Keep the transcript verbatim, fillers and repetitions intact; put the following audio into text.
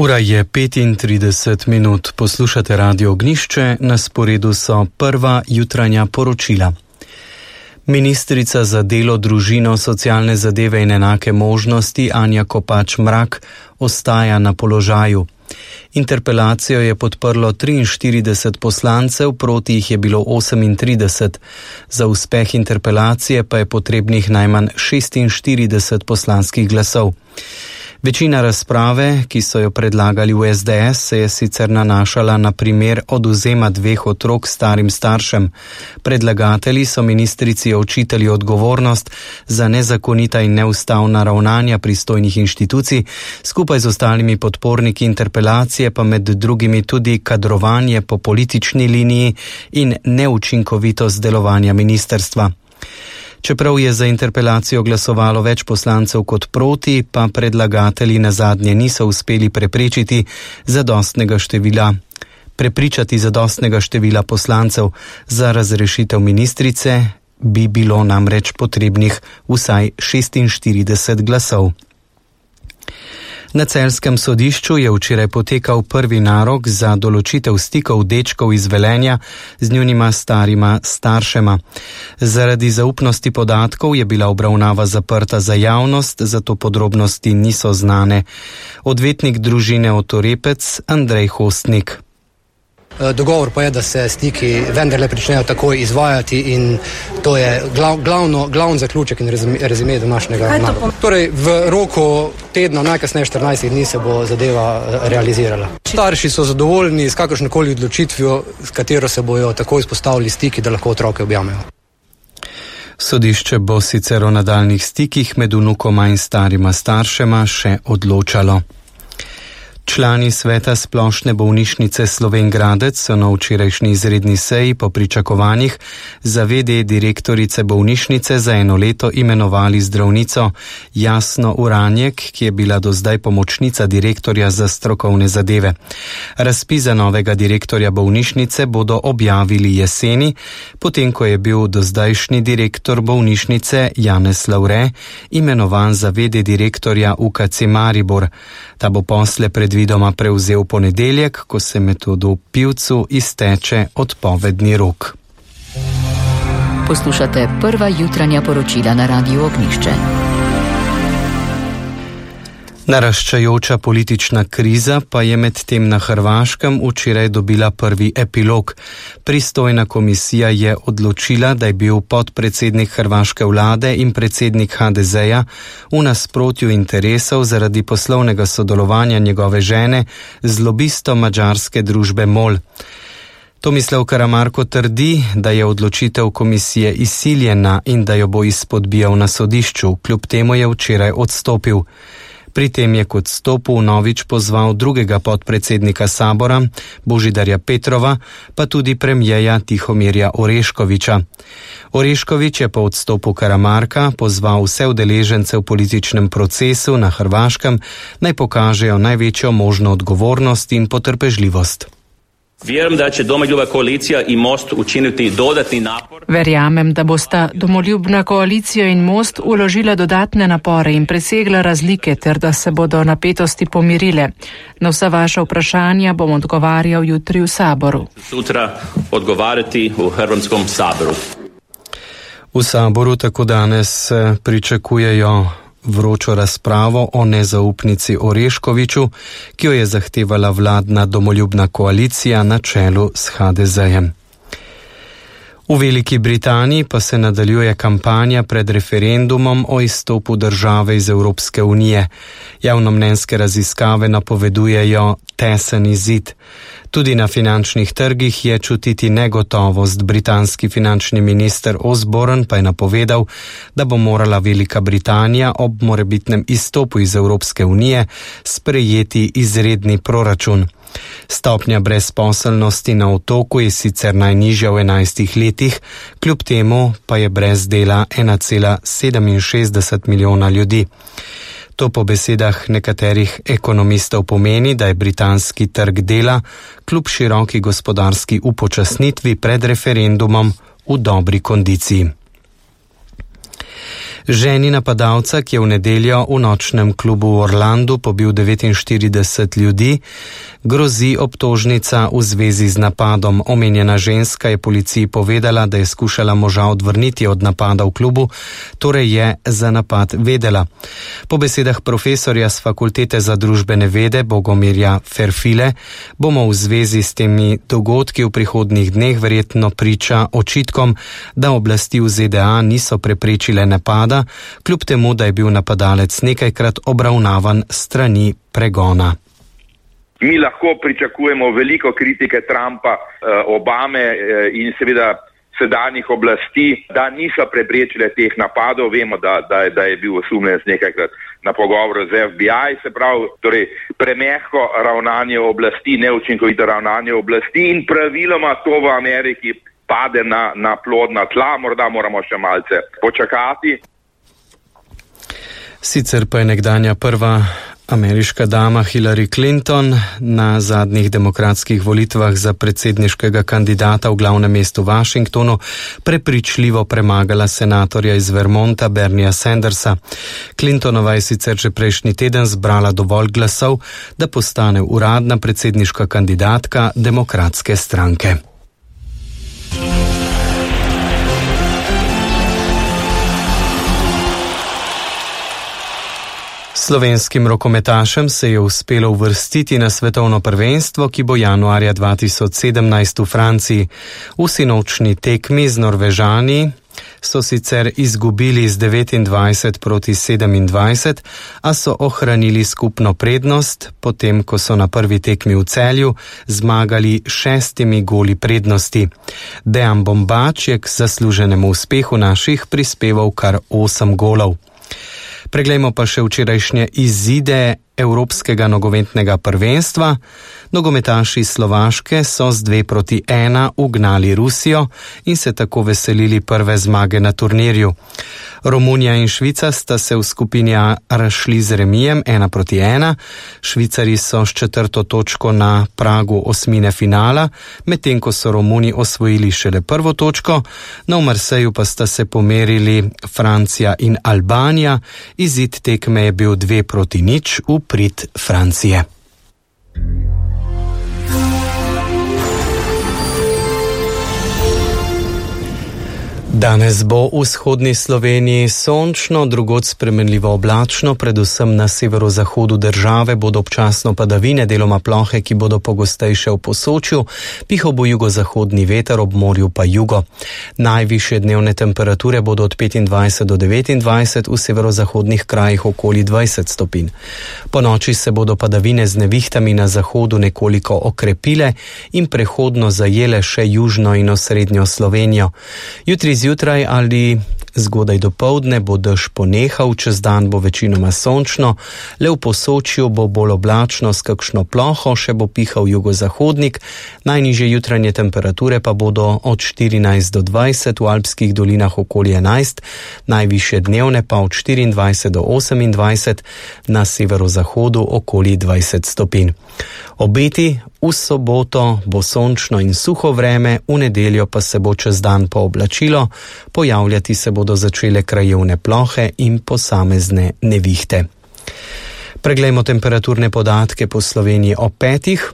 Ura je petintrideset minut, poslušate Radio Ognjišče, na sporedu so prva jutranja poročila. Ministrica za delo, družino, socialne zadeve in enake možnosti Anja Kopač Mrak ostaja na položaju. Interpelacijo je podprlo triinštirideset poslancev, proti jih je bilo osemintrideset. Za uspeh interpelacije pa je potrebnih najmanj šestinštirideset poslanskih glasov. Večina razprave, ki so jo predlagali v es de es, se je sicer nanašala na primer odvzema dveh otrok starim staršem. Predlagatelji so ministrici očitali odgovornost za nezakonita in neustavna ravnanja pristojnih inštitucij, skupaj z ostalimi podporniki interpelacije pa med drugimi tudi kadrovanje po politični liniji in neučinkovitost delovanja ministrstva. Čeprav je za interpelacijo glasovalo več poslancev kot proti, pa predlagatelji nazadnje niso uspeli preprečiti zadostnega števila, prepričati zadostnega števila poslancev. Za razrešitev ministrice bi bilo namreč potrebnih vsaj šestinštirideset glasov. Na celjskem sodišču je včeraj potekal prvi narok za določitev stikov dečkov iz Velenja z njunima starima staršema. Zaradi zaupnosti podatkov je bila obravnava zaprta za javnost, zato podrobnosti niso znane. Odvetnik družine Otorepec Andrej Hostnik. Dogovor pa je, da se stiki vendarle pričnejo takoj izvajati in to je glav, glavno, glavni zaključek in rezime današnjega naloga. Torej, v roku tedna, najkasneje štirinajstih dni se bo zadeva realizirala. Starši so zadovoljni s kakršnokoli odločitvijo, s katero se bojo takoj izpostavili stiki, da lahko otroke objamejo. Sodišče bo sicer o nadaljnih stikih med vnukoma in starima staršema še odločalo. Člani sveta Splošne bolnišnice Slovenj Gradec so na včerajšnji izredni seji po pričakovanjih za ve de direktorice bolnišnice za eno leto imenovali zdravnico Jasno Uranjek, ki je bila do zdaj pomočnica direktorja za strokovne zadeve. Razpis za novega direktorja bolnišnice bodo objavili jeseni, potem ko je bil dozdajšnji direktor bolnišnice Janez Lavre imenovan za ve de direktorja u ka ce Maribor. Ta bo posle predvidoma prevzel ponedeljek, ko se Metodu Pivcu izteče odpovedni rok. Poslušate prva jutranja poročila na Radiu Ognjišče. Naraščajoča politična kriza pa je medtem na Hrvaškem včeraj dobila prvi epilog. Pristojna komisija je odločila, da je bil podpredsednik hrvaške vlade in predsednik ha de zeja v nasprotju interesov zaradi poslovnega sodelovanja njegove žene z lobistom madžarske družbe MOL. Tomislav Karamarko trdi, da je odločitev komisije izsiljena in da jo bo izpodbijal na sodišču, kljub temu je včeraj odstopil. Pri tem je k odstopu vnovič pozval drugega podpredsednika sabora, Božidarja Petrova, pa tudi premijeja Tihomirja Oreškovića. Orešković je po odstopu Karamarka pozval vse udeležence v političnem procesu na Hrvaškem, naj pokažejo največjo možno odgovornost in potrpežljivost. Vjerujem, da će Domoljubna koalicija i Most učiniti dodatni napor. Verjamem, da bosta Domoljubna koalicija in Most uložila dodatne napore in presegla razlike ter da se bodo napetosti pomirile. Na vsa vaša vprašanja bom odgovarjal jutri v saboru. Sutra odgovarjati v Hrvatskom saboru. V saboru tako danes pričakujejo vročo razpravo o nezaupnici Oreškoviću, ki jo je zahtevala vladna domoljubna koalicija na čelu s ha de zejem. V Veliki Britaniji pa se nadaljuje kampanja pred referendumom o izstopu države iz Evropske unije. Javnomnenjske raziskave napovedujejo tesen izid. Tudi na finančnih trgih je čutiti negotovost. Britanski finančni minister Osborne pa je napovedal, da bo morala Velika Britanija ob morebitnem izstopu iz Evropske unije sprejeti izredni proračun. Stopnja brezposelnosti na otoku je sicer najnižja v enajstih letih, kljub temu pa je brez dela ena cela sedeminšestdeset milijona ljudi. To po besedah nekaterih ekonomistov pomeni, da je britanski trg dela kljub široki gospodarski upočasnitvi pred referendumom v dobri kondiciji. Ženi napadalca, ki je v nedeljo v nočnem klubu v Orlandu pobil devetinštirideset ljudi, grozi obtožnica v zvezi z napadom. Omenjena ženska je policiji povedala, da je skušala moža odvrniti od napada v klubu, torej je za napad vedela. Po besedah profesorja z Fakultete za družbene vede Bogomirja Ferfile bomo v zvezi s temi dogodki v prihodnjih dneh verjetno priča očitkom, da oblasti v Z D A niso preprečile napada, kljub temu, da je bil napadalec nekajkrat obravnavan strani pregona. Mi lahko pričakujemo veliko kritike Trumpa, Obame in seveda sedanjih oblasti, da niso preprečile teh napadov. Vemo, da, da, da je bil osumljenec nekajkrat na pogovoru z F B I, se pravi, torej premehko ravnanje oblasti, neučinkovito ravnanje oblasti in praviloma to v Ameriki pade na, na plodna tla, morda moramo še malce počakati. Sicer pa je nekdanja prva ameriška dama Hillary Clinton na zadnjih demokratskih volitvah za predsedniškega kandidata v glavnem mestu Washingtonu prepričljivo premagala senatorja iz Vermonta Bernieja Sandersa. Clintonova je sicer že prejšnji teden zbrala dovolj glasov, da postane uradna predsedniška kandidatka demokratske stranke. Slovenskim rokometašem se je uspelo uvrstiti na svetovno prvenstvo, ki bo januarja dva tisoč sedemnajst v Franciji. V sinočni tekmi z Norvežani so sicer izgubili z devetindvajset proti sedemindvajset, a so ohranili skupno prednost, potem ko so na prvi tekmi v Celju zmagali šestimi goli prednosti. Dejan Bombač je k zasluženemu uspehu naših prispeval kar osem golov. Preglejmo pa še včerajšnje izide Evropskega nogometnega prvenstva. Nogometaši Slovaške so z dve proti ena ugnali Rusijo in se tako veselili prve zmage na turnirju. Romunija in Švica sta se v skupini A razšli z remijem ena proti ena. Švicari so s četrto točko na pragu osmine finala, medtem ko so Romuni osvojili šele prvo točko. Na v Marseju pa sta se pomerili Francija in Albanija. Izid tekme je bil dve proti nič v prid Francije. Danes bo v vzhodni Sloveniji sončno, drugod spremenljivo oblačno, predvsem na severozahodu države bodo občasno padavine, deloma plohe, ki bodo pogostejše v Posočju, pihal bo jugozahodni veter, ob morju pa jugo. Najvišje dnevne temperature bodo od petindvajset do devetindvajset, v severozahodnih krajih okoli dvajset stopinj. Po noči se bodo padavine z nevihtami na zahodu nekoliko okrepile in prehodno zajele še južno in osrednjo Slovenijo. Jutri zjutraj ali zgodaj dopoldne bo dež ponehal, čez dan bo večinoma sončno, le v Posočju bo bolj oblačno s kakšno ploho, še bo pihal jugozahodnik, najnižje jutranje temperature pa bodo od štirinajst do dvajset, v alpskih dolinah okoli enajst, najvišje dnevne pa od štiriindvajset do osemindvajset, na severozahodu okoli dvajset stopinj. Obeti: v soboto bo sončno in suho vreme, v nedeljo pa se bo čez dan pooblačilo, pojavljati se bodo začele krajevne plohe in posamezne nevihte. Preglejmo temperaturne podatke po Sloveniji ob petih.